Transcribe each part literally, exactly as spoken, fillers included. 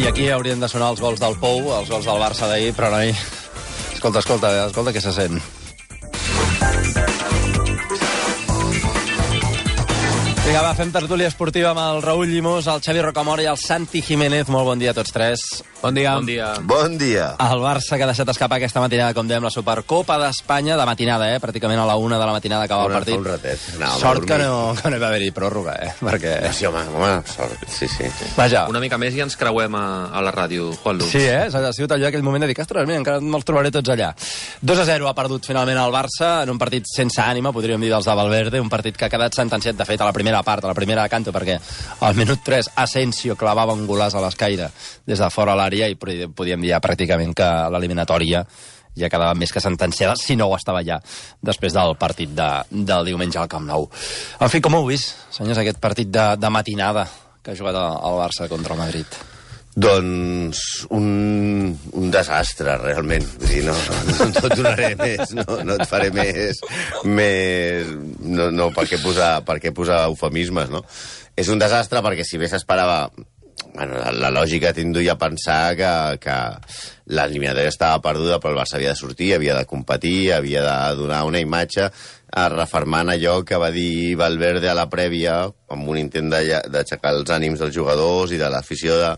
aquí haurien de sonar els gols del Pou, els gols del Barça d'ahir, però no hi... Escolta, escolta, escolta què se sent. Vinga, va, fem tertúlia esportiva amb el Raül Llimós, el Xavi Rocamora i el Santi Jiménez. Molt bon dia a tots tres. Bon dia. Bon dia. Bon dia. El Barça que ha deixat escapar aquesta matinada, com dèiem, la Supercopa d'Espanya, de matinada, eh? Pràcticament a la una de la matinada acaba el partit. Un ratet. No, sort que no, que no hi va haver-hi pròrroga, eh? Perquè... Sí, home, home, sort. Sí, sí. Vaja. Una mica més i ens creuem a, a la ràdio, Juan Luz. Sí, eh? Ha sigut allò aquell moment de dir, ostres, mira, encara me'ls trobaré tots allà. dos a zero ha perdut finalment el Barça en un partit sense ànima, podríem dir, dels de Valverde, un partit que ha quedat sentenciat, de fet, a la primera part, a la primera de canto, perquè al minut tres Asensio clavava un golaç a l'escaire des de fora a l'àrea i podíem dir ja pràcticament que l'eliminatòria ja quedava més que sentenciada, si no ho estava ja, després del partit de, del diumenge al Camp Nou. En fi, com ho heu vist, senyors, aquest partit de, de matinada que ha jugat el Barça contra el Madrid? Doncs un, un desastre, realment. Vull dir, no, no, no et donaré més, no, no et faré més... més no, no, per què posar, per què posar eufemismes, no? És un desastre perquè si bé s'esperava... Bueno, la, la lògica t'induïa a pensar que, que l'eliminatòria estava perduda, però el Barça havia de sortir, havia de competir, havia de donar una imatge, refermant allò que va dir Valverde a la prèvia, amb un intent d'aixecar els ànims dels jugadors i de l'afició de...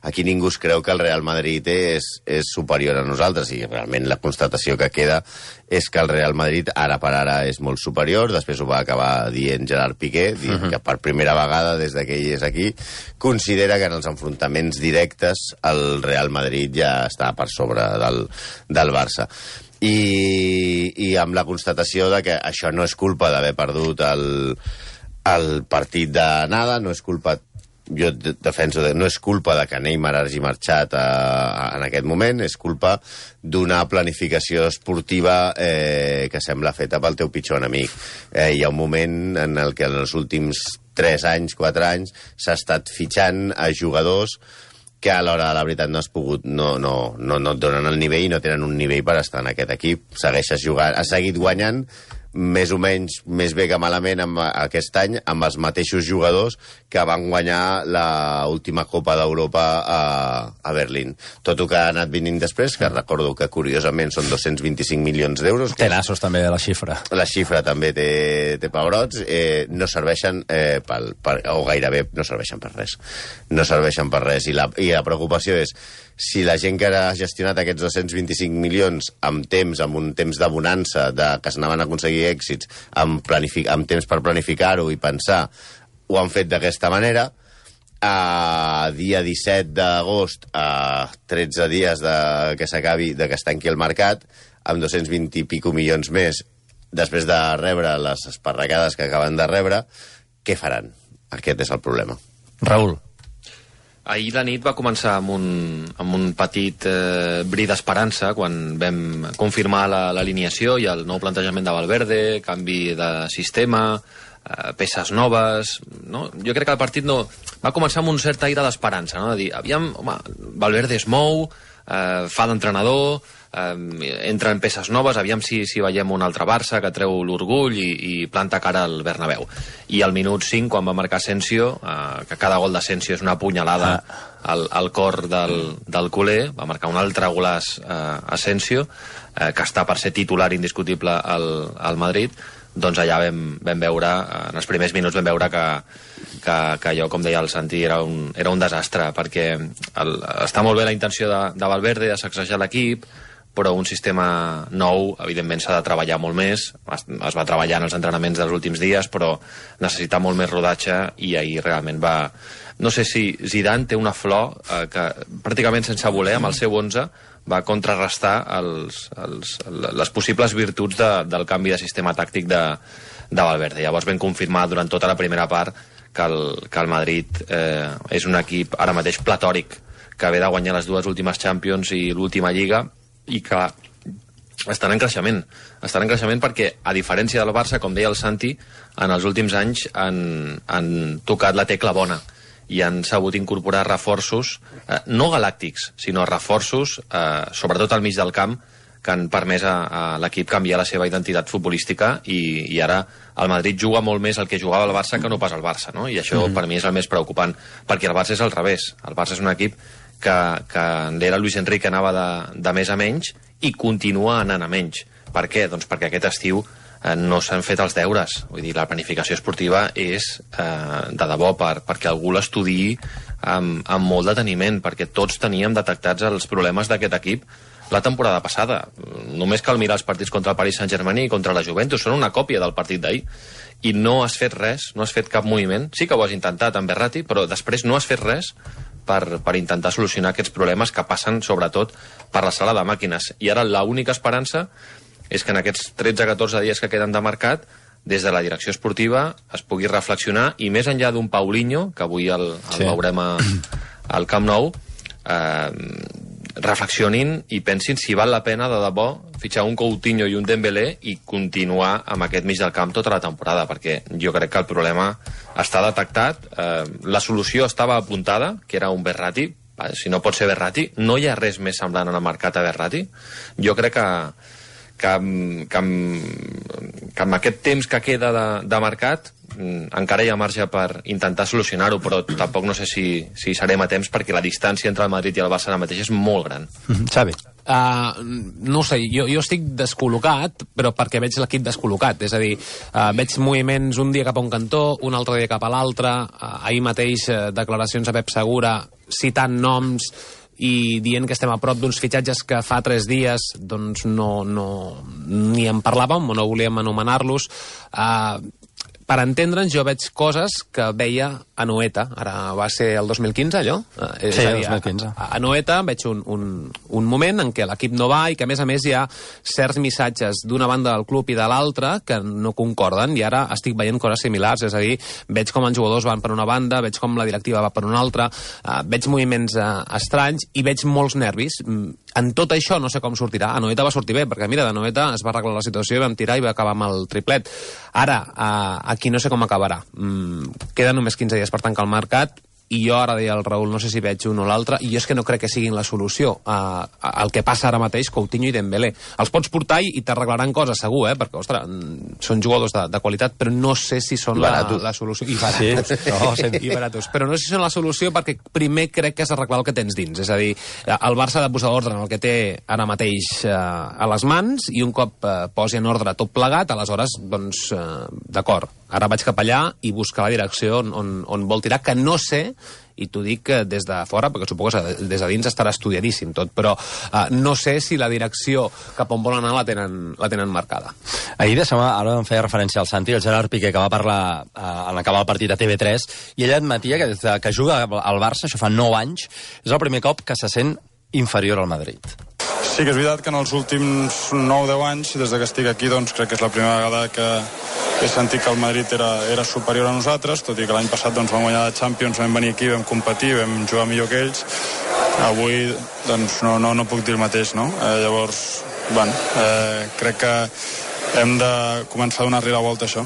Aquí ningú es creu que el Real Madrid és, és superior a nosaltres, i realment la constatació que queda és que el Real Madrid ara per ara és molt superior. Després ho va acabar dient Gerard Piqué, dient uh-huh. que per primera vegada des que ell és aquí considera que en els enfrontaments directes el Real Madrid ja està per sobre del, del Barça. I, i amb la constatació de que això no és culpa d'haver perdut el, el partit de nada, no és culpa, jo defenso, de, no és culpa de que Neymar hagi marxat a, a, en aquest moment, és culpa d'una planificació esportiva eh, que sembla feta pel teu pitjor enemic. Eh, hi ha un moment en el que en els últims tres anys, quatre anys, s'ha estat fitxant a jugadors que a l'hora de la veritat no has pogut, no, no, no, no et donen el nivell i no tenen un nivell per estar en aquest equip. Segueixes jugant, has seguit guanyant més o menys, més bé que malament amb, aquest any, amb els mateixos jugadors que van guanyar l'última Copa d'Europa a, a Berlín. Tot el que ha anat venint després, que recordo que curiosament són dos-cents vint-i-cinc milions d'euros. Té nassos també la xifra. La xifra també té, té pebrots, eh, no serveixen, eh, pel, per, o gairebé no serveixen per res. No serveixen per res. I la, i la preocupació és si la gent que ha gestionat aquests dos-cents vint-i-cinc milions amb temps, amb un temps de bonança, de, que s'anaven a aconseguir èxits, amb, amb temps per planificar-ho i pensar, ho han fet d'aquesta manera. A dia disset d'agost, a tretze dies de que s'acabi, de que es tanqui el mercat, amb dos-cents vint i pico milions més, després de rebre les esparracades que acaben de rebre, què faran? Aquest és el problema. Raül. Ahir la nit va començar amb un, amb un petit eh, bri d'esperança quan vam confirmar l'alineació i el nou plantejament de Valverde, canvi de sistema, eh, peces noves... No? Jo crec que el partit no... va començar amb un cert aire d'esperança, no? De dir, aviam, home, Valverde es mou, eh, fa d'entrenador, eh, entra en peces noves, aviam si, si veiem un altre Barça que treu l'orgull i, i planta cara al Bernabéu. I al minut cinc, quan va marcar Asensio, eh, que cada gol d'Asensio és una punyalada al, al cor del, del culer, va marcar un altre golaç eh, Asensio, eh, que està per ser titular indiscutible al, al Madrid. Doncs allà vam, vam veure, en els primers minuts vam veure que, que, que allò, com deia el Santi, era un, era un desastre, perquè el, està molt bé la intenció de, de Valverde de sacsejar l'equip, però un sistema nou, evidentment, s'ha de treballar molt més. Es, es va treballar en els entrenaments dels últims dies, però necessita molt més rodatge i ahir realment va... No sé si Zidane té una flor eh, que pràcticament sense voler, amb el seu onze, va contrarrestar els, els, les possibles virtuts de, del canvi de sistema tàctic de, de Valverde. Llavors vam confirmar durant tota la primera part que el, que el Madrid eh, és un equip ara mateix platòric, que ve de guanyar les dues últimes Champions i l'última Lliga, i que estan en creixement. Estan en creixement perquè, a diferència del Barça, com deia el Santi, en els últims anys han, han tocat la tecla bona i han sabut incorporar reforços, eh, no galàctics, sinó reforços, eh, sobretot al mig del camp, que han permès a, a l'equip canviar la seva identitat futbolística i, i ara el Madrid juga molt més el que jugava el Barça que no pas el Barça, no? I això mm-hmm. per mi és el més preocupant, perquè el Barça és al revés. El Barça és un equip que, que l'era Luis Enrique anava de, de més a menys i continua anant a menys. Per què? Doncs perquè aquest estiu eh, no s'han fet els deures. Vull dir, la planificació esportiva és eh, de debò per, perquè algú l'estudiï amb, amb molt deteniment, perquè tots teníem detectats els problemes d'aquest equip la temporada passada. Només cal mirar els partits contra el Paris Saint-Germain i contra la Juventus. Són una còpia del partit d'ahir. I no has fet res, no has fet cap moviment. Sí que ho has intentat amb Verratti, però després no has fet res per, per intentar solucionar aquests problemes que passen, sobretot, per la sala de màquines. I ara l'única esperança és que en aquests tretze a catorze dies que queden de mercat, des de la direcció esportiva es pugui reflexionar, i més enllà d'un Paulinho, que avui el, el sí. veurem a, al Camp Nou, eh, reflexionin i pensin si val la pena de debò fitxar un Coutinho i un Dembélé i continuar amb aquest mig del camp tota la temporada, perquè jo crec que el problema està detectat, eh, la solució estava apuntada, que era un Verratti. Si no pot ser Verratti, no hi ha res més semblant en el mercat a Verratti. Jo crec que que, que, que amb aquest temps que queda de, de mercat encara hi ha marge per intentar solucionar-ho, però tampoc no sé si, si serem a temps, perquè la distància entre el Madrid i el Barça ara mateix és molt gran. Mm-hmm. Xavi? Uh, no ho sé, jo, jo estic descol·locat, però perquè veig l'equip descol·locat, és a dir, uh, veig moviments un dia cap a un cantó, un altre dia cap a l'altre, uh, ahir mateix uh, declaracions a Pep Segura citant noms i dient que estem a prop d'uns fitxatges que fa tres dies doncs no, no ni en parlàvem o no volíem anomenar-los. Uh, per entendre'ns, jo veig coses que veia a Noeta. Ara va ser el dos mil quinze, allò? Sí, és a dir, dos mil quinze. A, a Noeta veig un, un, un moment en què l'equip no va i que, a més a més, hi ha certs missatges d'una banda del club i de l'altra que no concorden, i ara estic veient coses similars. És a dir, veig com els jugadors van per una banda, veig com la directiva va per una altra, uh, veig moviments uh, estranys i veig molts nervis. En tot això no sé com sortirà. A Noeta va sortir bé, perquè mira, de Noeta es va arreglar la situació i vam tirar i va acabar amb el triplet. Ara, uh, aquí no sé com acabarà. Mm, queden només quinze dies per tancar el mercat, i jo ara deia al Raül, no sé si veig un o l'altre, i jo és que no crec que siguin la solució a, a, al que passa ara mateix Coutinho i Dembélé. Els pots portar i, i t'arreglaran coses, segur, eh? Perquè, ostres, són jugadors de, de qualitat, però no sé si són la, la solució. I baratos. Sí. No, sí. I baratos. Però no sé si són la solució, perquè primer crec que has d'arreglar el que tens dins. És a dir, el Barça ha de posar ordre en el que té ara mateix eh, a les mans, i un cop eh, posi en ordre tot plegat, aleshores, doncs, eh, d'acord, ara vaig cap allà i buscar la direcció on, on, on vol tirar, que no sé, i t'ho dic des de fora, perquè suposo que des de dins estarà estudiadíssim tot, però uh, no sé si la direcció cap on volen anar la tenen, la tenen marcada. Ahir, deixa'm, ara em feia referència al Santi, el Gerard Piqué, que va parlar uh, en acabar el partit a T V tres, i ell admetia que des de que juga al Barça, això fa nou anys, és el primer cop que se sent inferior al Madrid. Sí que és veritat que en els últims nou deu anys, des que estic aquí, doncs crec que és la primera vegada que he sentit que el Madrid era, era superior a nosaltres, tot i que l'any passat doncs, vam guanyar la Champions, vam venir aquí, vam competir, vam jugar millor que ells. Avui doncs, no, no, no puc dir el mateix, no? Eh, llavors, bueno, eh, crec que hem de començar a donar-li la volta a això.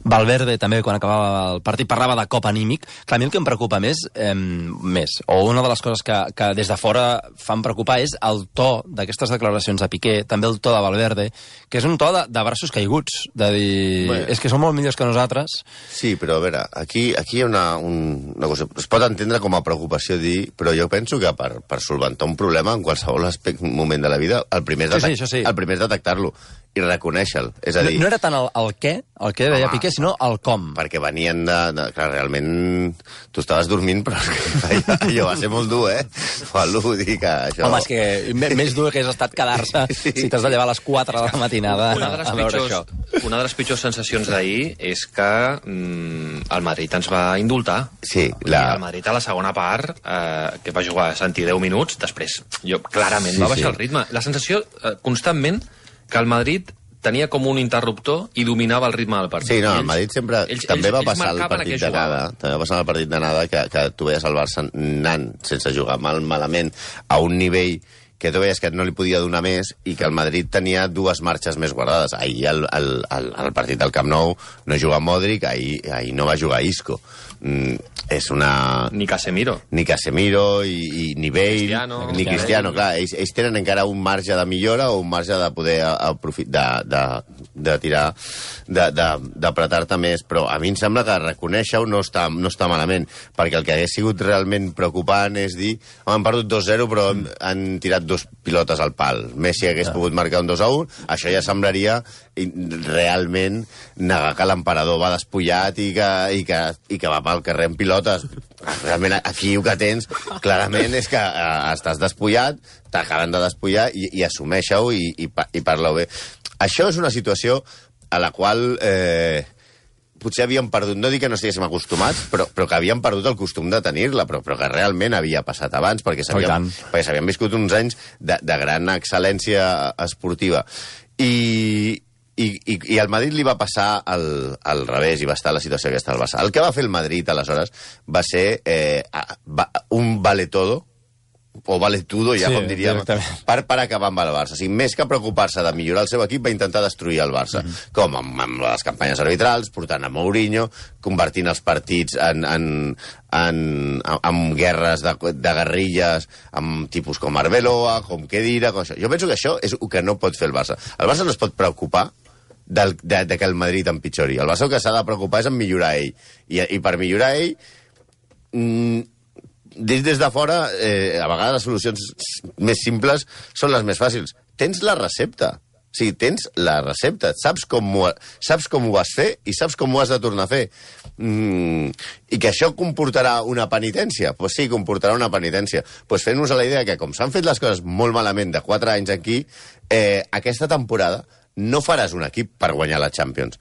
Valverde també, quan acabava el partit, parlava de cop anímic. Clar, a mi el que em preocupa més, eh, més, o una de les coses que, que des de fora fan preocupar, és el to d'aquestes declaracions de Piqué, també el to de Valverde, que és un to de, de braços caiguts, de dir, bueno, és que són molt millors que nosaltres. Sí, però a veure, aquí, aquí hi ha una, un, una cosa, es pot entendre com a preocupació dir, però jo penso que per, per solventar un problema en qualsevol aspecte, moment de la vida, el primer és, sí, sí, sí. el primer és detectar-lo i reconèixer-lo. És a dir... No, no era tant el, el què, el què deia Piqué, sinó el com. Perquè venien de... de clar, realment tu estaves dormint, però allò, allò va ser molt dur, eh? Fallo, dir que això... Home, és que més dur que hagués estat quedar-se sí. si t'has de llevar a les quatre de la matinada una de les a veure pitjors, això. Una de les pitjors sensacions d'ahir és que mm, el Madrid ens va indultar. Sí, la... El Madrid a la segona part, eh, que va jugar Santi deu minuts, després jo clarament sí, va baixar sí. el ritme. La sensació eh, constantment que el Madrid tenia com un interruptor i dominava el ritme del partit. Sí, no, el Madrid sempre... Ells, també ells, va passar el partit d'anada, també va passar el partit d'anada que, que tu veies el Barça anant sense jugar mal, malament a un nivell que tu veies que no li podia donar més i que el Madrid tenia dues marxes més guardades. Ahir el, el, el, el partit del Camp Nou no juga Modric, ahir, ahir no va jugar Isco. Mm, és una... Ni Casemiro. Ni Casemiro, i, i ni Bale, Cristiano, ni Cristiano. Clar, ells, ells tenen encara un marge de millora o un marge de poder aprofitar, de, de de tirar, d'apretar-te més, però a mi em sembla que reconèixer-ho no està, no està malament, perquè el que hagués sigut realment preocupant és dir, home, han perdut dos zero, però mm. han tirat dos pilotes al pal. Messi hagués ja. pogut marcar un dos a un, això ja semblaria realment negar que l'emperador va despullat i que, i, que, i que va pel carrer amb pilotes. Realment aquí el que tens clarament és que eh, estàs despullat, t'acaben de despullar i, i assumeixeu i, i, i parleu bé. Això és una situació a la qual eh, potser havíem perdut, no dic que no estiguéssim acostumats, però, però que havíem perdut el costum de tenir-la, però, però que realment havia passat abans, perquè s'havien oh, viscut uns anys de, de gran excel·lència esportiva. I, i, i, i al Madrid li va passar al, al revés i va estar la situació aquesta al Barça. El que va fer el Madrid, aleshores, va ser eh, va, un vale todo, o vale todo, ja sí, com diríem, per, per acabar amb el Barça. O sigui, més que preocupar-se de millorar el seu equip, va intentar destruir el Barça. Mm -hmm. Com amb, amb les campanyes arbitrals, portant a Mourinho, convertint els partits en, en, en, en, en guerres de, de guerrilles, amb tipus com Arbeloa, com Khedira, com això. Jo penso que això és el que no pot fer el Barça. El Barça no es pot preocupar del, de, de que el Madrid empitjori. El Barça el que s'ha de preocupar és en millorar ell. I, i per millorar ell... Mm, Des, des de fora, eh, a vegades les solucions més simples són les més fàcils. Tens la recepta. O sigui, tens la recepta. Saps com ho, saps com ho vas fer i saps com ho has de tornar a fer. Mm, I que això comportarà una penitència? Doncs pues sí, comportarà una penitència. Doncs pues fent-nos a la idea que, com s'han fet les coses molt malament de quatre anys aquí, eh, aquesta temporada no faràs un equip per guanyar la Champions.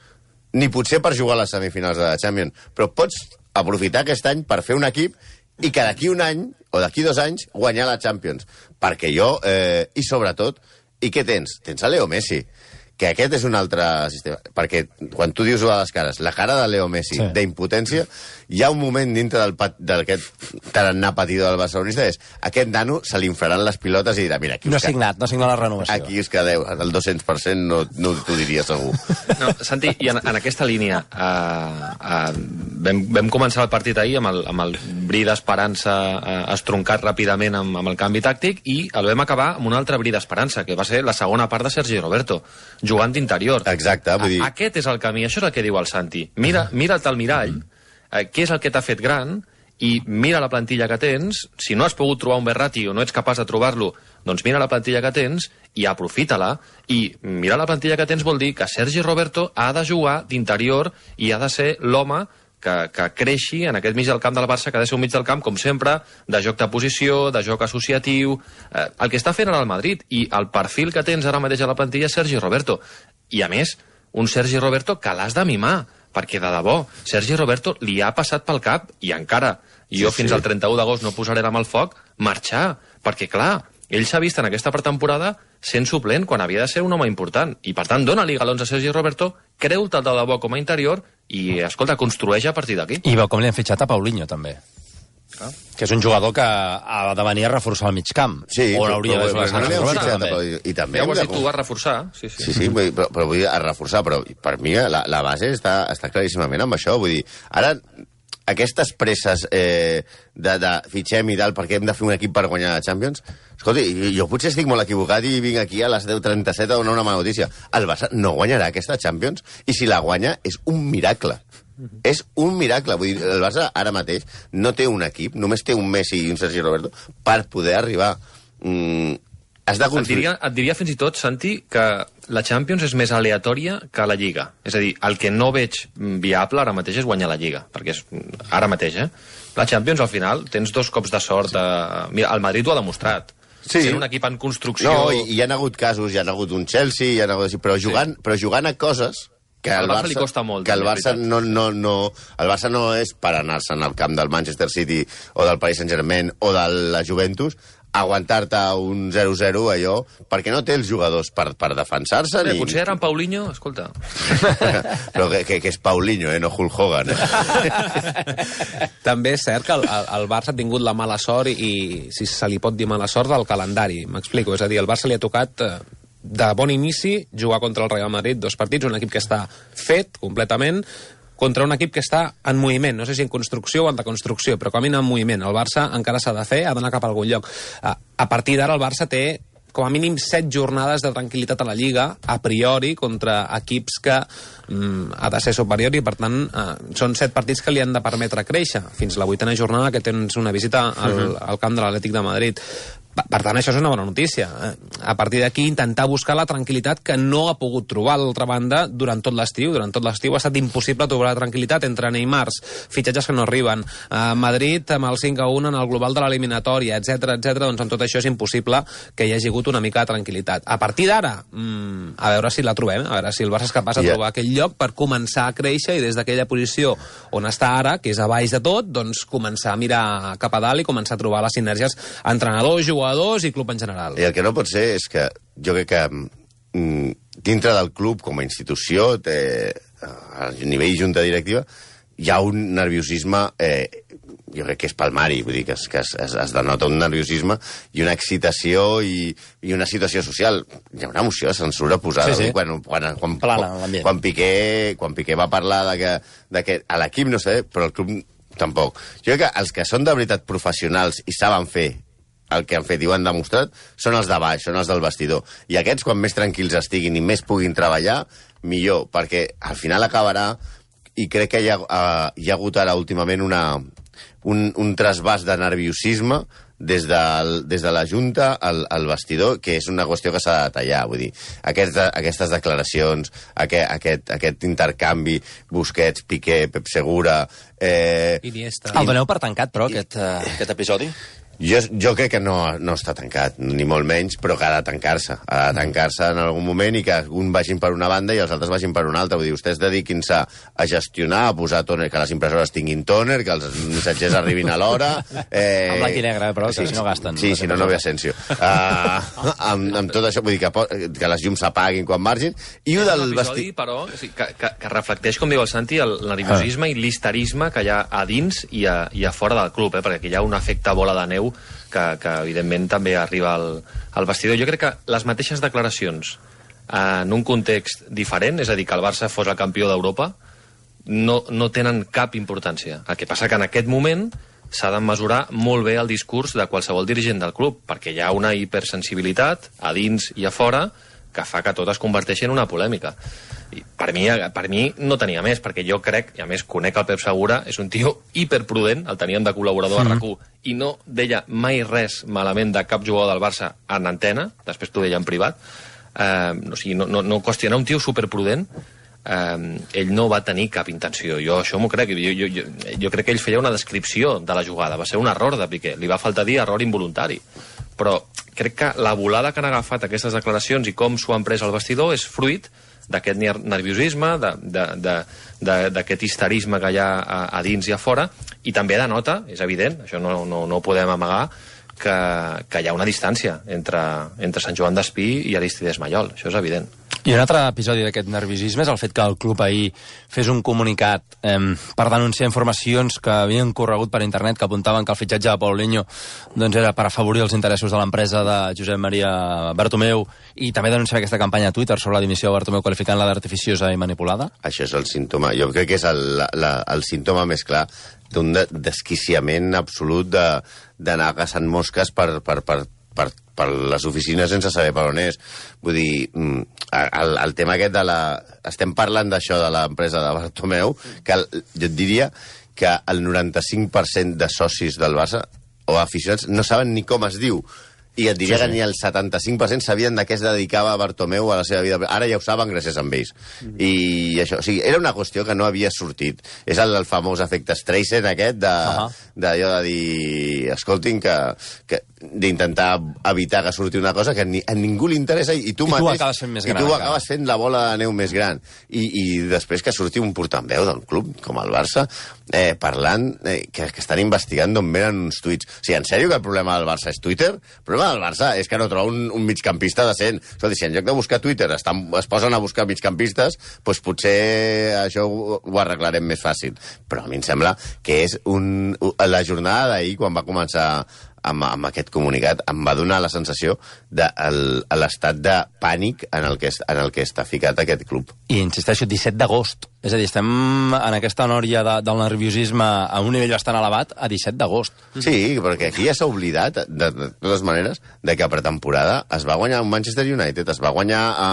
Ni potser per jugar a les semifinals de la Champions. Però pots aprofitar aquest any per fer un equip i que d'aquí un any, o d'aquí dos anys, guanyar la Champions. Perquè jo, eh, i sobretot, i què tens? Tens a Leo Messi, que aquest és un altre sistema. Perquè quan tu dius a les cares, la cara de Leo Messi, sí. d'impotència, hi ha un moment dintre d'aquest tarannà patidor del barcelonista, és aquest nano se li inflaran les pilotes i dirà, mira, aquí no ha signat, no ha signat la renovació. Aquí us quedeu, el dos-cents per cent no, no t'ho diria segur. No, Santi, i en, en aquesta línia, uh, uh, vam, vam començar el partit ahir amb el, amb el bri d'esperança uh, estroncat ràpidament amb, amb el canvi tàctic i el vam acabar amb un altre bri d'esperança, que va ser la segona part de Sergi Roberto, jugant d'interior. Exacte, vull dir... Aquest és el camí, això és el que diu el Santi. Mira, mira't al mirall, eh, què és el que t'ha fet gran, i mira la plantilla que tens, si no has pogut trobar un Verratti o no ets capaç de trobar-lo, doncs mira la plantilla que tens i aprofita-la. I mira la plantilla que tens vol dir que Sergi Roberto ha de jugar d'interior i ha de ser l'home que, que creixi en aquest mig del camp del Barça, que ha de ser un mig del camp, com sempre, de joc de posició, de joc associatiu, eh, el que està fent ara el Madrid, i el perfil que tens ara mateix a la plantilla és Sergi Roberto. I a més, un Sergi Roberto que l'has de mimar, perquè de debò, Sergi Roberto li ha passat pel cap, i encara, jo sí, fins sí. al trenta-u d'agost no posaré la mà al foc, marxar, perquè clar, ell s'ha vist en aquesta pretemporada sent suplent quan havia de ser un home important, i per tant dona-li galons a Sergi Roberto, creu-te'l de debò com a interior i, escolta, construeix a partir d'aquí. I veu com li han fitxat a Paulinho, també. Ah. Que és un jugador que ha de venir a reforçar el mig camp. Sí, o l'hauria de jugar a Roberto, també. I també ja ho has dit, tu vas reforçar. Sí, sí, sí, sí però, però vull dir, a reforçar, però per mi la, la base està, està claríssimament amb això. Vull dir, ara, aquestes presses eh, de, de fitxem i tal, perquè hem de fer un equip per guanyar la Champions, escolta, jo potser estic molt equivocat i vinc aquí a les deu trenta-set a donar una mala notícia. El Barça no guanyarà aquesta Champions, i si la guanya és un miracle. Mm-hmm. És un miracle. Vull dir, el Barça ara mateix no té un equip, només té un Messi i un Sergi Roberto per poder arribar. Mm, has de construir... et, diria, et diria fins i tot, Santi, que la Champions és més aleatòria que la Lliga. És a dir, el que no veig viable ara mateix és guanyar la Lliga, perquè és ara mateix, eh? La Champions, al final, tens dos cops de sort. A... Mira, el Madrid ho ha demostrat. Sí. Sent un equip en construcció... No, i hi ha hagut casos, hi ha hagut un Chelsea, hi ha hagut... però, jugant, sí. però jugant a coses... que al Barça, Barça li costa molt. Que el Barça no, no, no, el Barça no és per anar-se'n al camp del Manchester City o del Paris Saint-Germain o de la Juventus, aguantar-te un zero zero, allò, perquè no té els jugadors per, per defensar-se. Bé, ni... potser era en Paulinho, escolta. Però que, que, que és Paulinho, eh, no Hulk Hogan. Eh? També és cert que el, el Barça ha tingut la mala sort, i, i si se li pot dir mala sort, del calendari. M'explico, és a dir, el Barça li ha tocat... Eh, de bon inici, jugar contra el Real Madrid dos partits, un equip que està fet completament, contra un equip que està en moviment, no sé si en construcció o en deconstrucció, però camina en moviment. El Barça encara s'ha de fer, ha d'anar cap a algun lloc. A partir d'ara el Barça té com a mínim set jornades de tranquil·litat a la Lliga, a priori, contra equips que mm, ha de ser superior i, per tant, eh, són set partits que li han de permetre créixer. Fins la vuitena jornada, que tens una visita al, uh-huh. al camp de l'Atlètic de Madrid. Per tant, això és una bona notícia. A partir d'aquí, intentar buscar la tranquil·litat que no ha pogut trobar a l'altra banda durant tot l'estiu. Durant tot l'estiu ha estat impossible trobar la tranquil·litat entre Neymars, fitxatges que no arriben, a Madrid amb el cinc a un en el global de l'eliminatòria, etcètera, etcètera. Doncs amb tot això és impossible que hi hagi hagut una mica de tranquil·litat. A partir d'ara, mmm, a veure si la trobem, a veure si el Barça és capaç de yeah. trobar aquell lloc per començar a créixer i des d'aquella posició on està ara, que és a baix de tot, doncs començar a mirar cap a dalt i començar a trobar les sinergies entrenador, jugador i club en general. I el que no pot ser és que jo crec que mm, dintre del club com a institució, té, a nivell junta directiva, hi ha un nerviosisme, eh, jo crec que és palmari, vull dir que, es, que es, es, es denota un nerviosisme i una excitació i, i una situació social. Hi ha una emoció de censura posada. Sí, sí. Quan, quan, quan, Plana, quan, quan, Piqué, quan Piqué va parlar de que, de que a l'equip no sé, però el club tampoc. Jo crec que els que són de veritat professionals i saben fer el que han fet i ho han demostrat, són els de baix, són els del vestidor. I aquests, quan més tranquils estiguin i més puguin treballar, millor, perquè al final acabarà, i crec que hi ha, uh, hi ha hagut ara últimament una, un, un trasbàs de nerviosisme des de, des de la Junta al, al vestidor, que és una qüestió que s'ha de tallar. Vull dir, aquest, aquestes declaracions, aquest, aquest, aquest intercanvi, Busquets, Piqué, Pep Segura... Eh, Iniesta. El doneu per tancat, però, aquest, uh, aquest episodi? Jo, jo crec que no, no està tancat, ni molt menys, però que ha de tancar-se. Ha de tancar-se en algun moment i que un vagin per una banda i els altres vagin per una altra. Vull dir, vostès dediquin-se a gestionar, a posar tòner, que les impressores tinguin tòner, que els missatgers arribin a l'hora... Eh... En blanc i negre, però, que sí, si no gasten. Sí, si no, no ve Asensio. Uh, amb, amb tot això, vull dir que, que les llums s'apaguin quan margin. I és un episodi, però, que, que, que reflecteix, com diu el Santi, el nerviosisme ah. i l'histerisme que hi ha a dins i a, i a fora del club, eh? Perquè aquí hi ha un efecte bola de neu Que, que evidentment també arriba al, al vestidor. Jo crec que les mateixes declaracions en un context diferent, és a dir, que el Barça fos el campió d'Europa, no, no tenen cap importància. El que passa que en aquest moment s'ha de mesurar molt bé el discurs de qualsevol dirigent del club, perquè hi ha una hipersensibilitat a dins i a fora que fa que tot es converteixi en una polèmica. I per mi, per mi no tenia més, perquè jo crec, i a més conec el Pep Segura, és un tio hiperprudent, el teníem de col·laborador mm. a RAC u, i no deia mai res malament de cap jugador del Barça en antena, després t'ho deia en privat, eh, o sigui, no, no, no qüestiona un tio superprudent, eh, ell no va tenir cap intenció, jo això m'ho crec, jo, jo, jo, jo crec que ell feia una descripció de la jugada, va ser un error de Piqué, li va faltar dir error involuntari, però crec que la volada que han agafat aquestes declaracions i com s'ho han pres al vestidor és fruit d'aquest nerviosisme, d'aquest histerisme que hi ha a, a dins i a fora, i també denota, és evident, això no, no, no ho podem amagar, que, que hi ha una distància entre, entre Sant Joan d'Espí i Aristides Maiol, això és evident. I un altre episodi d'aquest nerviosisme és el fet que el club ahir fes un comunicat eh, per denunciar informacions que havien corregut per internet que apuntaven que el fitxatge de Paulinho doncs, era per afavorir els interessos de l'empresa de Josep Maria Bartomeu i també denunciar aquesta campanya a Twitter sobre la dimissió de Bartomeu qualificant-la d'artificiosa i manipulada. Això és el símptoma. Jo crec que és el, la, el símptoma més clar d'un desquiciament absolut de, d'anar caçant mosques per, per, per, per, per les oficines sense saber per on és. Vull dir, el, el tema aquest de la... Estem parlant d'això de l'empresa de Bartomeu, que el, jo et diria que el noranta-cinc per cent de socis del Barça o aficionats no saben ni com es diu. I et diria sí, sí. que ni el setanta-cinc per cent sabien de què es dedicava Bartomeu a la seva vida. Ara ja ho saben gràcies a ells. Mm. I això, o sigui, era una qüestió que no havia sortit. És el, el famós efecte Streisand aquest de, uh -huh. d'allò de dir, escoltin, que, que d'intentar evitar que surti una cosa que ni, a ningú li interessa i, i tu I mateix... tu acabes fent més gran. I tu acabes fent la bola de neu més gran. I, i després que surti un portaveu del club, com el Barça, eh, parlant, eh, que, que estan investigant d'on venen uns tuits. O sigui, en sèrio que el problema del Barça és Twitter? El problema del Barça és que no troba un, un migcampista decent. Escolta, si en lloc de buscar Twitter estan, es posen a buscar migcampistes, doncs potser això ho, ho arreglarem més fàcil. Però a mi em sembla que és un, la jornada d'ahir, quan va començar amb, amb aquest comunicat, em va donar la sensació de el, l'estat de pànic en el, que, en el que està ficat aquest club. I insisteixo, disset d'agost. És a dir, estem en aquesta nòria de, del nerviosisme a un nivell bastant elevat a disset d'agost. Sí, perquè aquí ja s'ha oblidat, de, de totes maneres, de que a pretemporada es va guanyar un Manchester United, es va guanyar a,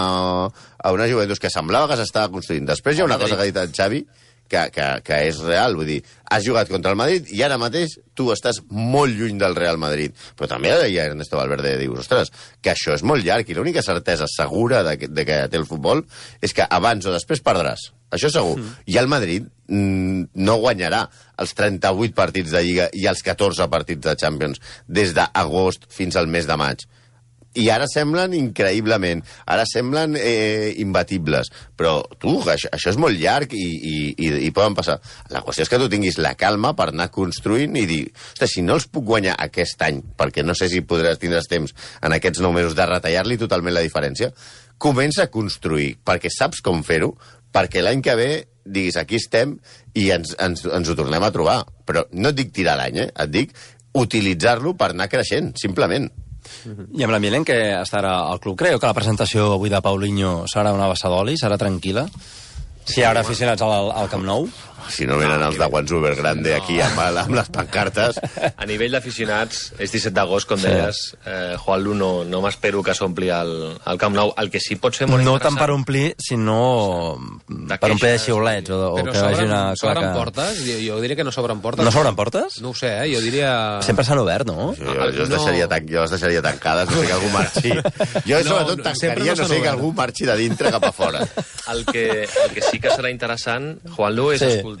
a una Juventus que semblava que s'estava construint. Després hi ha una cosa que ha dit el Xavi, que, que, que és real, vull dir, has jugat contra el Madrid i ara mateix tu estàs molt lluny del Real Madrid. Però també hi ha Ernesto Valverde i dius, ostres, que això és molt llarg i l'única certesa segura de que, de que té el futbol és que abans o després perdràs. Això segur. Mm. I el Madrid mm, no guanyarà els trenta-vuit partits de Lliga i els catorze partits de Champions des d'agost fins al mes de maig. I ara semblen increïblement, ara semblen eh, imbatibles, però tu, això, això és molt llarg i, i, i, i poden passar. La qüestió és que tu tinguis la calma per anar construint i dir, ostres, si no els puc guanyar aquest any, perquè no sé si podràs tindràs temps en aquests nou mesos de retallar-li totalment la diferència, comença a construir, perquè saps com fer-ho, perquè l'any que ve diguis, aquí estem i ens, ens, ens ho tornem a trobar. Però no et dic tirar l'any, eh? Et dic utilitzar-lo per anar creixent, simplement. I amb l'ambient en què estarà el club, creu que la presentació avui de Paulinho serà una vessa d'oli, serà tranquil·la? Si hi haurà aficionats al, al Camp Nou? Si no venen els de Guanzuber Grande no. aquí amb, amb les pancartes. A nivell d'aficionats, és disset d'agost, com sí. deies, eh, Juan Lu, no, no m'espero que s'ompli el, el Camp Nou. El que sí pot ser molt no interessant... No tant per omplir, sinó de per omplir de xiulets. O, o però que s'obren, una s'obren portes? Jo, jo diria que no s'obren portes. No s'obren portes? No ho sé, eh? Jo diria... Sempre s'han obert, no? Jo, jo, jo, no. deixaria tan, jo les deixaria tancades, no sé que algú marxi. Jo no, sobretot tancaria, no, no sé que algú marxi de dintre cap a fora. El que, el que sí que serà interessant, Juan Lu, és sí. escoltar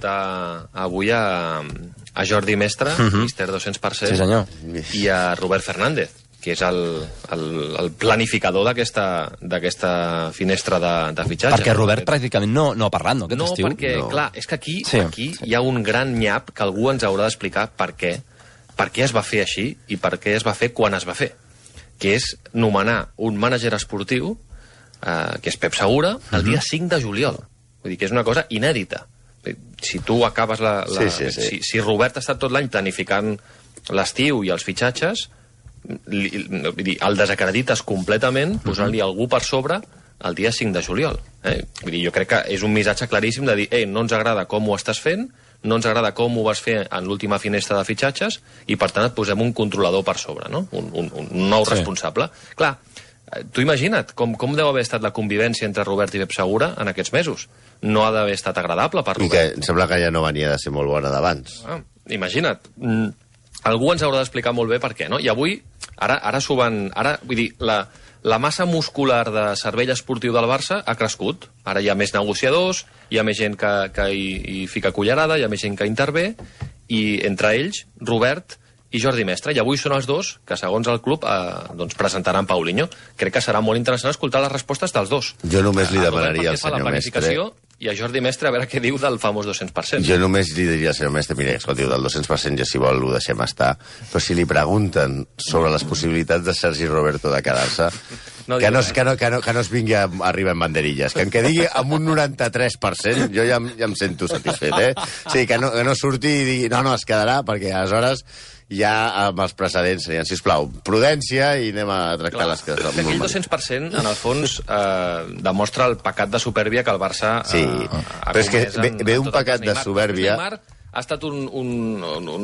avui a, a Jordi Mestre, uh -huh. míster dos-cents per cent, sí, senyor. i a Robert Fernández, que és el, el, el planificador d'aquesta finestra de, de fitxatge. Perquè Robert pràcticament no, no ha parlat, no, aquest no, estiu? Perquè, no, perquè, clar, és que aquí, sí. aquí hi ha un gran nyap que algú ens haurà d'explicar per què, per què es va fer així i per què es va fer quan es va fer, que és nomenar un mànager esportiu, eh, que és Pep Segura, el dia cinc de juliol. Vull dir que és una cosa inèdita. Si tu acabes la... la sí, sí, sí. Si, si Robert ha estat tot l'any planificant l'estiu i els fitxatges, li, vull dir, el desacredites completament posant-li algú per sobre el dia cinc de juliol. Eh? Vull dir, jo crec que és un missatge claríssim de dir, ei, no ens agrada com ho estàs fent, no ens agrada com ho vas fer en l'última finestra de fitxatges i, per tant, et posem un controlador per sobre, no? Un, un, un nou sí. responsable. Clar, tu imagina't com, com deu haver estat la convivència entre Robert i Pep Segura en aquests mesos. No ha d'haver estat agradable per Robert. I que em sembla que ja no venia de ser molt bona d'abans. Ah, imagina't. Mm, algú ens haurà d'explicar molt bé per què, no? I avui, ara, ara s'ho van... Ara, vull dir, la, la massa muscular de cervell esportiu del Barça ha crescut. Ara hi ha més negociadors, hi ha més gent que, que hi, hi fica cullerada, hi ha més gent que intervé, i entre ells, Robert i Jordi Mestre, i avui són els dos que, segons el club, eh, doncs presentaran Paulinho. Crec que serà molt interessant escoltar les respostes dels dos. Jo només li demanaria al senyor Mestre... I a Jordi Mestre a veure què diu del famós dos-cents per cent. Jo només li diria al senyor Mestre, mira, escolti, del dos-cents per cent ja si vol ho deixem estar, però si li pregunten sobre les possibilitats de Sergi Roberto de quedar-se, no que, no, que, no, que, no, que no es vingui a arribar en banderilles, que en que digui amb un noranta-tres per cent jo ja, ja em sento satisfet, eh? Sí, que no, que no surti i digui, no, no, es quedarà, perquè aleshores ja amb els precedents serien, sisplau, prudència i anem a tractar Clar, les coses. Aquell dos-cents per cent, en el fons, eh, demostra el pecat de supèrbia que el Barça eh, sí, ha però és que ve, ve un pecat de supèrbia... Neymar ha estat un, un, un, un...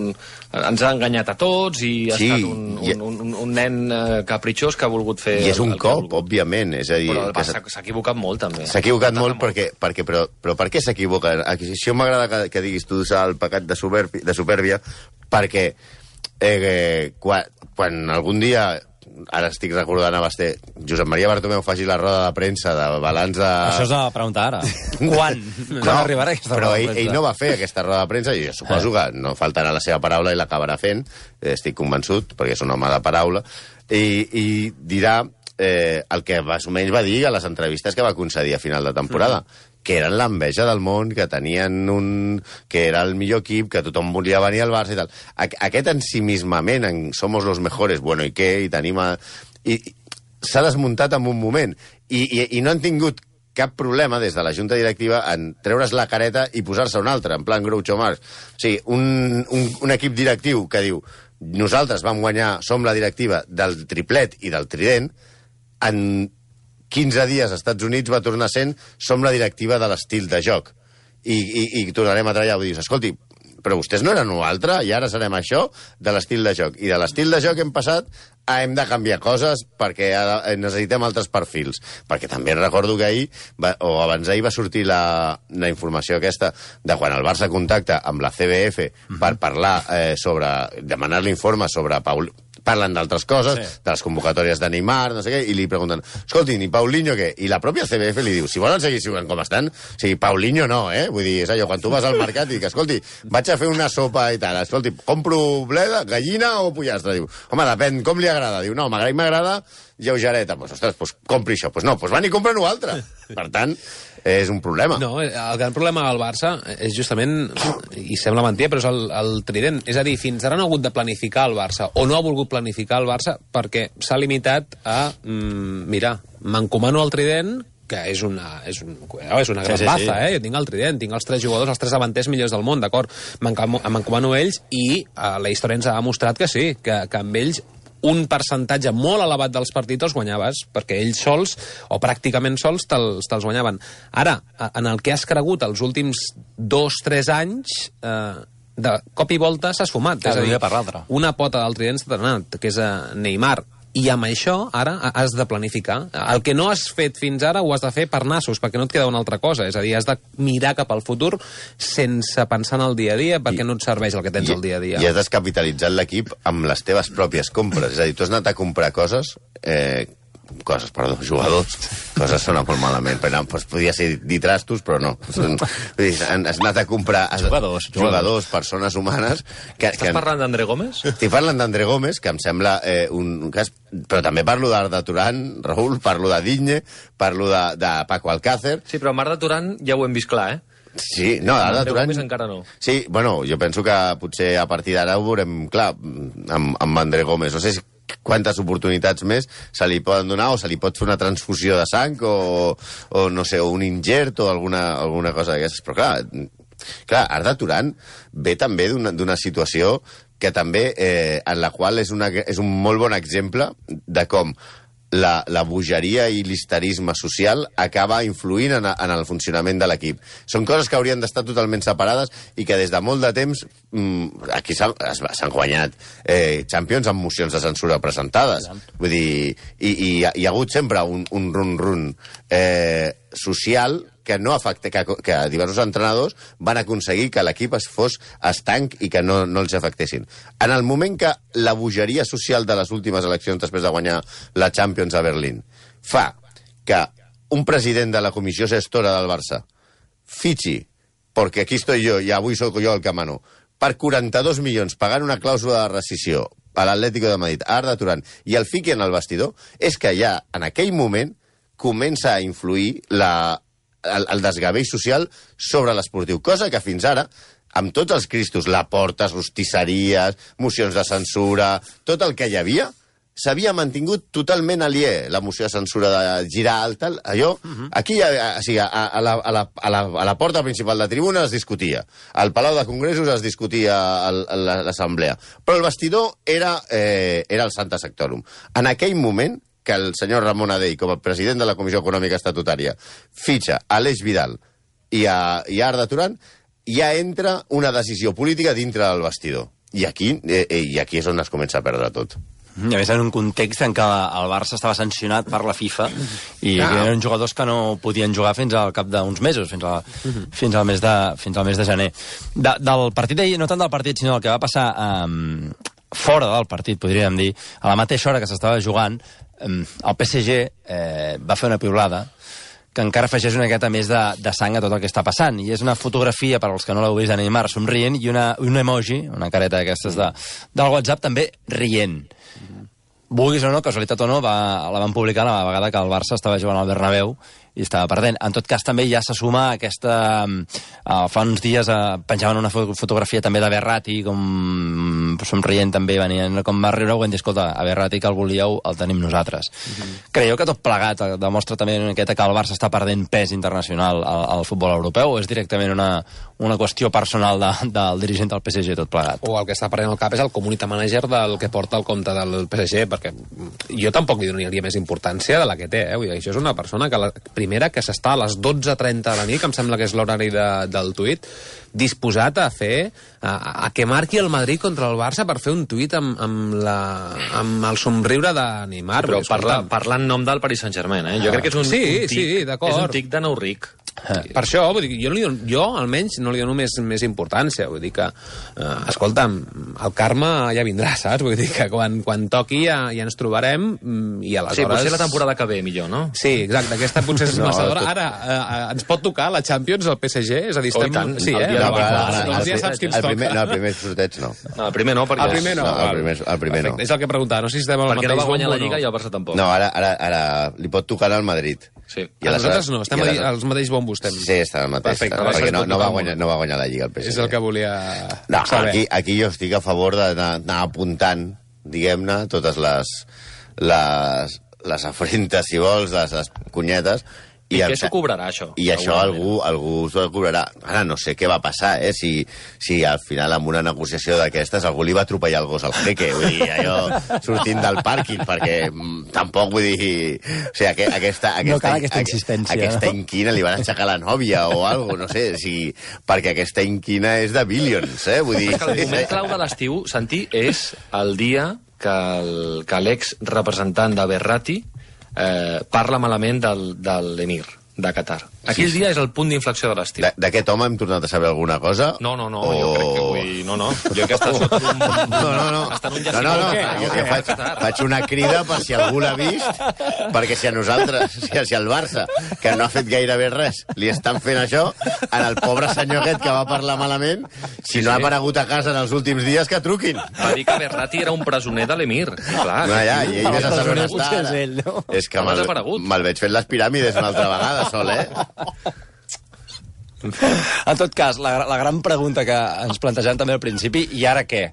ens ha enganyat a tots i ha sí, estat un, un, un, un nen eh, capritxós que ha volgut fer... I és un cop, òbviament. És a dir, però el Barça s'ha equivocat molt, també. S'ha equivocat molt, molt perquè... perquè però, però per què s'equivoca? Això m'agrada que, que diguis tu el pecat de supèrbia, de supèrbia perquè eh, quan, quan algun dia... Ara estic recordant a Basté, Josep Maria Bartomeu faci la roda de premsa de balanç de... Això és la pregunta ara. Quan? No, Quan arribarà aquesta però roda de ell, premsa? ell no va fer aquesta roda de premsa i jo suposo eh. que no faltarà la seva paraula i l'acabarà fent, estic convençut, perquè és un home de paraula, i, i dirà eh, el que més o menys va dir a les entrevistes que va concedir a final de temporada. Mm. Que eren l'enveja del món, que tenien un... que era el millor equip, que tothom volia venir al Barça i tal. Aquest ensimismament en somos los mejores, bueno, i què? I tenim a... I, i s'ha desmuntat en un moment. I, i, I no han tingut cap problema des de la Junta Directiva en treure's la careta i posar-se un altre, en plan Groucho Marx. O sigui, un, un, un equip directiu que diu nosaltres vam guanyar, som la directiva del triplet i del trident, en quinze dies als Estats Units va tornar sent som la directiva de l'estil de joc. I, i, i tornarem a treballar. Vull dir, escolti, però vostès no eren un altre, i ara serem això de l'estil de joc. I de l'estil de joc hem passat a hem de canviar coses perquè necessitem altres perfils. Perquè també recordo que ahir, va, o abans d'ahir va sortir la, la informació aquesta de quan el Barça contacta amb la C B F uh-huh. per parlar eh, sobre, demanar l'informe sobre Paul... Parlen d'altres coses, sí. de les convocatòries de Neymar, no sé què, i li pregunten, escolti, ni Paulinho què? I la pròpia C B F li diu, si volen seguir jugant com estan, o sigui, Paulinho no, eh? Vull dir, és allò, quan tu vas al mercat i dic, escolti, vaig a fer una sopa i tal, escolti, compro bleda, gallina o pollastre? Diu, home, depèn, com li agrada? Diu, no, m'agrada, m'agrada lleugereta. Pues, ostres, pues, compri això. Pues no, pues van i compren una altra. Per tant, és un problema. No, el gran problema del Barça és justament, i sembla mentida, però és el, el trident. És a dir, fins ara no ha hagut de planificar el Barça, o no ha volgut planificar el Barça, perquè s'ha limitat a, mm, mira, m'encomano al trident, que és una, és un, és una gran sí, sí, baza, sí. eh? Jo tinc el trident, tinc els tres jugadors, els tres davanters millors del món, d'acord? M'encomano ells i eh, la història ens ha demostrat que sí, que, que amb ells un percentatge molt elevat dels partits els guanyaves, perquè ells sols, o pràcticament sols, te'ls te guanyaven. Ara, en el que has cregut els últims dos, tres anys, eh, de cop i volta s'ha esfumat. Cada és a dir, dia per l'altre. Una pota del trident s'ha anat, que és a Neymar. I amb això, ara, has de planificar. El que no has fet fins ara ho has de fer per nassos, perquè no et queda una altra cosa. És a dir, has de mirar cap al futur sense pensar en el dia a dia, perquè I, no et serveix el que tens i, el dia a dia. I has descapitalitzat l'equip amb les teves pròpies compres. És a dir, tu has anat a comprar coses... Eh, coses, perdó, jugadors, coses sona molt malament, però no, doncs podria ser dir trastos, però no. Has anat a comprar jugadors, jugadors, jugadors persones humanes... Que, Estàs que, parlant d'André Gómez? Estic parlant d'André Gómez, que em sembla eh, un cas... Però també parlo d'Arda Turán, Raül, parlo de Digne, parlo de, de Paco Alcácer... Sí, però amb Arda Turán ja ho hem vist clar, eh? Sí, no, Arda Turán... encara no. Sí, bueno, jo penso que potser a partir d'ara ho veurem clar amb, amb André Gómez. No sé si quantes oportunitats més se li poden donar, o se li pot fer una transfusió de sang, o, o no sé, o un ingert, o alguna, alguna cosa d'aquestes. Però clar, clar, Arda Turán ve també d'una situació que també, eh, en la qual és, una, és un molt bon exemple de com la, la bogeria i l'histerisme social acaba influint en, en el funcionament de l'equip. Són coses que haurien d'estar totalment separades i que des de molt de temps mmm, aquí s'han guanyat eh, Champions amb mocions de censura presentades. Vull dir, i, i hi ha hagut sempre un, un run-run eh, social que no afecta, que, que diversos entrenadors van aconseguir que l'equip es fos estanc i que no, no els afectessin. En el moment que la bogeria social de les últimes eleccions després de guanyar la Champions a Berlín fa que un president de la comissió gestora del Barça fitxi, perquè aquí estoy jo i avui soc jo el que mano, per quaranta-dos milions pagant una clàusula de rescissió a l'Atlético de Madrid, a Arda Turán, i el fiqui en el vestidor, és que ja en aquell moment comença a influir la El, el desgavell social sobre l'esportiu, cosa que fins ara, amb tots els cristos, la portes, rostisseries, mocions de censura, tot el que hi havia, s'havia mantingut totalment aliè, la moció de censura de girar el tal, allò, uh-huh. aquí, a, a, a, a, la, a, la, a, la, a la porta principal de tribuna es discutia, al Palau de Congressos es discutia l'assemblea, però el vestidor era, eh, era el Santa Sectorum. En aquell moment, que el senyor Ramon Adell, com a president de la Comissió Econòmica Estatutària, fitxa a Aleix Vidal i a, i a Arda Turán, ja entra una decisió política dintre del vestidor. I aquí, eh, i aquí és on es comença a perdre tot. I a més en un context en què el Barça estava sancionat per la FIFA i ah. eren jugadors que no podien jugar fins al cap d'uns mesos, fins, a, uh-huh. fins, al mes de, fins al mes de gener. De, del partit d'ahir, no tant del partit, sinó del que va passar um, fora del partit, podríem dir, a la mateixa hora que s'estava jugant, el P S G eh, va fer una piulada que encara afegeix una miqueta més de, de sang a tot el que està passant. I és una fotografia, per als que no l'heu vist, de Neymar somrient, i una, un emoji, una careta d'aquestes de, del WhatsApp, també rient. Mm-hmm. Vulguis o no, casualitat o no, va, la van publicar la vegada que el Barça estava jugant al Bernabéu i estava perdent. En tot cas, també ja se suma aquesta... Uh, fa uns dies uh, penjaven una fotografia també de Berratti, com somrient també, venien com va riure, ho hem dit, escolta, a Verratti que el volíeu, el tenim nosaltres. Mm-hmm. Creieu que tot plegat demostra també una miqueta que el Barça està perdent pes internacional al, al futbol europeu, o és directament una, una qüestió personal de, del dirigent del P S G tot plegat? O el que està prenent el cap és el community manager del que porta el compte del P S G, perquè jo tampoc li donaria més importància de la que té, eh? Vull dir, això és una persona que la primera que s'està a les dotze trenta de la nit, que em sembla que és l'horari de, del tuit, disposat a fer, a, a que marqui el Madrid contra el Barça per fer un tuit amb, amb, la, amb el somriure de Neymar. Però parla, parla en nom del Paris Saint-Germain, eh? Jo crec que és un, sí, un tic, sí, d'acord. és un tic de nou ric. Per això, vull dir, jo, no li dono, jo almenys no li dono més, més importància, vull dir que, eh, escolta'm, el karma ja vindrà, saps? Vull dir que quan, quan toqui ja, ja ens trobarem i aleshores... Sí, potser la temporada que ve millor, no? Sí, exacte, aquesta potser és no, massa d'hora. Ara, eh, ens pot tocar la Champions, el P S G? És a dir, estem... Oh, tant, sí, eh? No, No, però, no, doncs ja saps qui ens el toca. primer, no, el primer sorteig no. No, el primer no, perquè... El primer no. No, el primer, el primer no. És el que preguntava, no sé si estem al Perquè mateix no va guanyar bombo la Lliga o i el Barça tampoc. No, ara, ara, ara li pot tocar al Madrid. Sí. I A nosaltres aleshores- no, estem i aleshores- als mateix bombos estem. Sí, està al mateix. Perfecte, Està, va perquè ser no, tot no, va el guanyar, no va guanyar la Lliga el P S G. És el que volia No, saber. aquí, aquí jo estic a favor d'anar apuntant, diguem-ne, totes les, les, les afrentes, si vols, les, les cunyetes. I, I què em- s'ho cobrarà, això? I això algú, algú s'ho cobrarà. Ara no sé què va passar, eh? Si, si al final amb una negociació d'aquestes algú li va atropellar el gos al jeque, vull dir, allò sortint del pàrquing, perquè mm, tampoc vull dir... O sigui, aqu aquesta, aquesta, No cal aquesta insistència, Aquesta no? inquina li van aixecar la nòvia o alguna no sé, si, perquè aquesta inquina és de Billions, eh? Vull dir... És que el moment clau de l'estiu, Santi, és el dia que el- que l'ex-representant de Verratti eh, parla malament del, de l'emir de Qatar. Aquell Sí, sí. dia és el punt d'inflexió de l'estiu. De- D'aquest home hem tornat a saber alguna cosa? No, no, no, O- jo crec que vull... No, no, jo que està sota un... No, no, no. Està en un No, no, no. jaciment. Jo que faig, faig una crida per si algú l'ha vist, perquè si a nosaltres, si, si al Barça, que no ha fet gairebé res, li estan fent això, en el pobre senyor aquest que va parlar malament, si no ha aparegut a casa en els últims dies, que truquin. Va dir que Verratti era un presoner de l'emir. Clar. No, ja, i ell vés a saber on Potser està. és ara. ell, no? És que Ha me'l desaparegut. me veig fent les piràmides una altra vegada, sol, eh? En tot cas, la, la gran pregunta que ens plantejàvem també al principi, i ara què?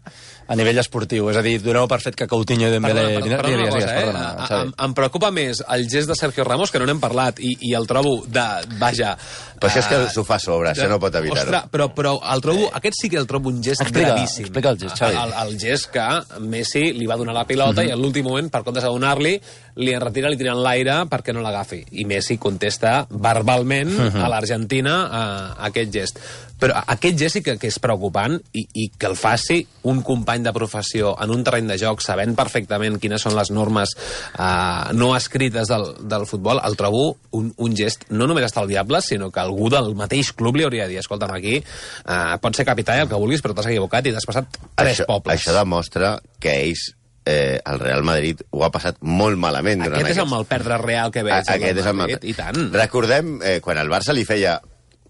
A nivell esportiu, és a dir, doneu per fet que Coutinho i Dembélé... Perdona, perdona, perdona una cosa, eh? perdona, Xavi. em, em preocupa més el gest de Sergio Ramos, que no n'hem parlat, i, i el trobo de... Vaja... Però això és que eh, s'ho fa a sobre, això no pot evitar-ho. Ostres, però, però el trobo, aquest sí que el trobo un gest Explica, gravíssim. explica el gest, Xavi. El, el gest que Messi li va donar la pilota i en l'últim moment, per comptes de donar-li, li enretira, li tira en l'aire perquè no l'agafi. I Messi contesta verbalment a l'Argentina a, a aquest gest. Però aquest gest sí que, que és preocupant i, i que el faci un company de professió en un terreny de joc, sabent perfectament quines són les normes eh, no escrites del, del futbol, el trobo un, un gest no només estalviable, sinó que algú del mateix club li hauria de dir, escolta'm, aquí eh, pots ser capità i el que vulguis, però t'has equivocat i t'has passat tres Això, pobles. això demostra que ells, eh, el Real Madrid, ho ha passat molt malament durant Aquest és el aquests- mal perdre real que veig. A- Aquest és el mal... I tant. Recordem, eh, quan el Barça li feia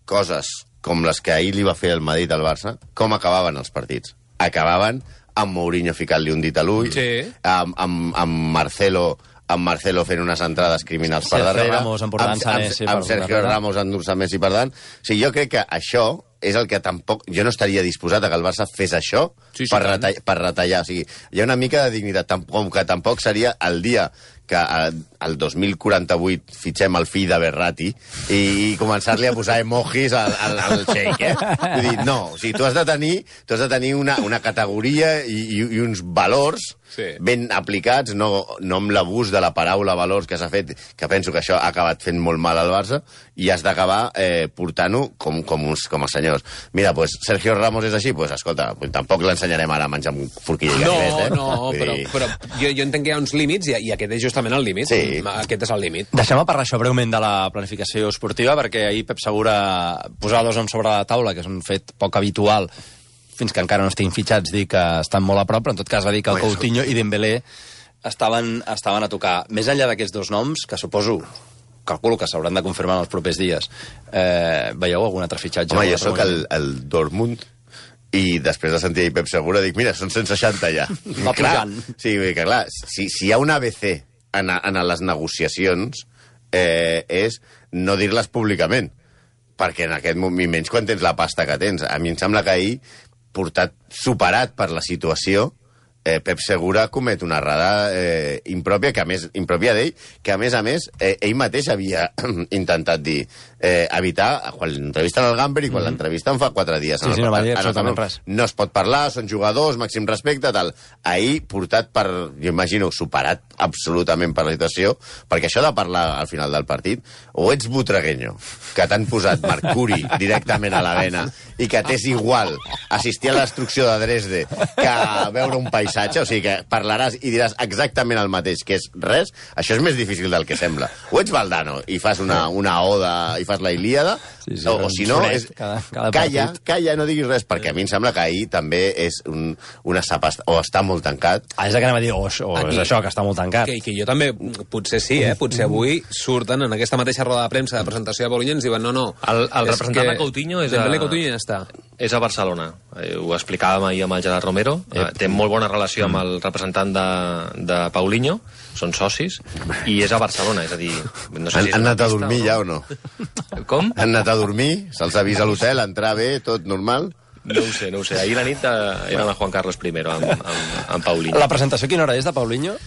coses com les que ahir li va fer el Madrid al Barça, com acabaven els partits? Acabaven amb Mourinho ficant-li un dit a l'ull, Sí. amb, amb, amb Marcelo amb Marcelo fent unes entrades criminals per Sergio darrere, Ramos emportant-se amb, Messi amb, per amb Sergio darrere. Ramos endur-se Messi per davant. O sigui, jo crec que això és el que tampoc... Jo no estaria disposat a que el Barça fes això Sí, sí, per, tant. retall, per retallar. O sigui, hi ha una mica de dignitat, tam- com que tampoc seria el dia que eh, el dos mil quaranta-vuit fitxem el fill de Verratti i, i començar-li a posar emojis al, al, al xeic, eh? Vull dir, no, o sigui, tu has de tenir, tu has de tenir una, una categoria i, i, i uns valors Sí. ben aplicats, no, no amb l'abús de la paraula valors que s'ha fet, que penso que això ha acabat fent molt mal al Barça, i has d'acabar eh, portant-ho com, com, uns, com els senyors. Mira, pues, Sergio Ramos és així, pues, escolta, pues, tampoc l'ensenyarem ara a menjar amb forquilla i No, ganivet, eh? no, Vull però, dir- però jo, jo entenc que hi ha uns límits i, i aquest és justament el límit. Sí. Aquest és el límit. Deixem-me parlar això breument de la planificació esportiva, perquè ahir Pep Segura posava dos noms sobre la taula, que és un fet poc habitual, fins que encara no estiguin fitxats, dir que estan molt a prop, però en tot cas va dir que el Home, Coutinho i Dembélé estaven, estaven a tocar. Més enllà d'aquests dos noms, que suposo, calculo que s'hauran de confirmar en els propers dies, eh, veieu algun altre fitxatge? Home, Algun jo altre sóc el, moviment? el Dortmund i després de sentir Pep Segura dic, mira, són cent seixanta ja. Va clar, pujant. sí, vull dir que clar, si, si hi ha un A B C en, en les negociacions eh, és no dir-les públicament, perquè en aquest moment, menys quan tens la pasta que tens. A mi em sembla que ahir portat, superat per la situació, eh, Pep Segura comet una errada eh, impròpia, que a més, impròpia d'ell, que a més a més eh, ell mateix havia intentat dir, eh, evitar, quan l'entrevisten al Gamber i quan mm-hmm. l'entrevisten fa quatre dies. Sí, sí, no va dir absolutament res. No es pot parlar, són jugadors, màxim respecte, tal. Ahir, portat per, jo imagino, superat absolutament per la situació, perquè això de parlar al final del partit, o ets butregueño, que t'han posat mercuri directament a la vena, i que t'és igual assistir a la destrucció de Dresde que veure un paisatge, o sigui que parlaràs i diràs exactament el mateix, que és res, això és més difícil del que sembla. O ets Valdano i fas una, una oda i fas la Ilíada, sí, sí, o, o si no, és, cada, cada calla, calla, no diguis res, perquè a mi em sembla que ahir també és un, una sapa, o està molt tancat. Ah, és el que anem a dir, o, o Aquí, és això, que està molt tancat. Que, que jo també, potser sí, eh? Potser avui surten en aquesta mateixa roda de premsa de presentació de Paulinho i ens diuen, no, no... El, el representant de Coutinho és a... Dembélé Coutinho ja està. És a Barcelona. Eh, ho explicàvem ahir amb el Gerard Romero. Eh, té molt bona relació amb el representant de, de Paulinho, són socis, i és a Barcelona, és a dir... No sé han si han anat a dormir ja o no? Com? Han anat a dormir, se'ls avisa a l'hotel, entrar bé, tot normal? No ho sé, no ho sé. Ahir la nit eh, eren a Juan Carlos I amb, amb, amb Paulinho. La presentació quina hora és de Paulinho?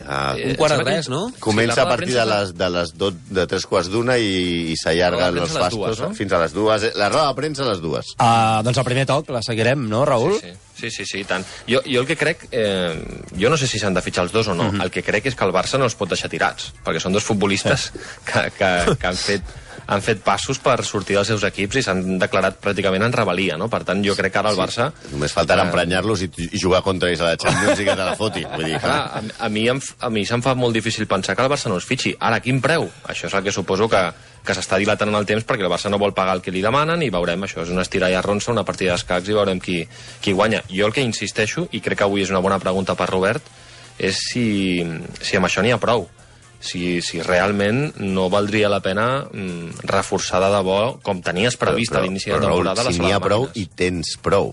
Ah, un quart de res, no? Comença sí, a partir de les, de les do, de tres quarts d'una i, i s'allarga els fastos no? fins a les dues. La roda de premsa a les dues. Uh, doncs el primer toc la seguirem, no, Raül? Sí, sí, sí, sí, sí tant. Jo, jo el que crec... Eh, jo no sé si s'han de fitxar els dos o no. Mm-hmm. El que crec és que el Barça no els pot deixar tirats, perquè són dos futbolistes que, que, que han fet... han fet passos per sortir dels seus equips i s'han declarat pràcticament en rebel·lia, no? Per tant, jo crec que ara el Barça... Sí. Només faltarà eh... emprenyar-los i, i jugar contra ells a la Champions i que te la foti. Vull dir, clar, a, a mi, em, a mi se'm fa molt difícil pensar que el Barça no els fitxi. Ara, a quin preu? Això és el que suposo que, que s'està dilatant en el temps perquè el Barça no vol pagar el que li demanen i veurem, això és una estira i arronsa, una partida d'escacs i veurem qui, qui guanya. Jo el que insisteixo, i crec que avui és una bona pregunta per Robert, és si, si amb això n'hi ha prou. Si, si realment no valdria la pena mm, reforçar de debò com tenies previst però, però, a l'inici de temporada. Raül, si n'hi ha prou i tens prou.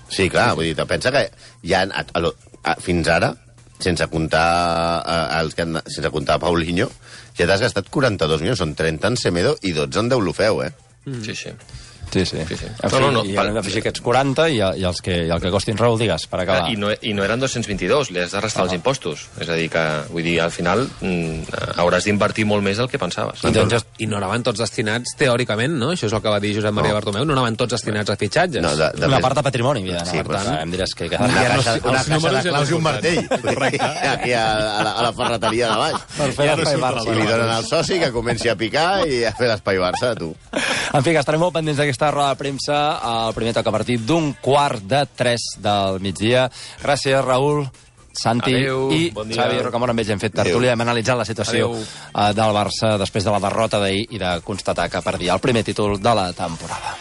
Sí, clar, vull dir, pensa que ja a, a, a, fins ara, sense comptar a, els que han, sense comptar a Paulinho, ja t'has gastat quaranta-dos milions, són trenta en Semedo i dotze en Deulofeu, eh? Mm. Sí, sí. Sí, sí. sí, sí. No, no, no, I hem d'afegir aquests quaranta i, i, els que, i el que costin, Raül, digues, per acabar. I no, i no eren dos-cents vint-i-dos, li has de restar ah, els impostos. És a dir, que vull dir, al final mm, hauràs d'invertir molt més del que pensaves. I, doncs, I no anaven tots destinats, teòricament, no? Això és el que va dir Josep Maria no. Bartomeu, no anaven tots destinats a fitxatges. No, de, de Una més... part de patrimoni, havia d'anar. Sí, per tant, em diràs que... que una caixa, una caixa de claus i un martell. Aquí a, a, la, a la ferreteria de baix. Per fer l'espai Barça. I li donen al soci que comenci a picar i a fer l'espai Barça, tu. En fi, que estarem molt pendents d'aquesta roda de premsa el primer toc a partir d'un quart de tres del migdia. Gràcies, Raül, Santi Adeu, i bon Xavi Rocamora. Amb ells hem fet tertúlia, hem analitzat la situació Adeu. del Barça després de la derrota d'ahir i de constatar que perdia el primer títol de la temporada.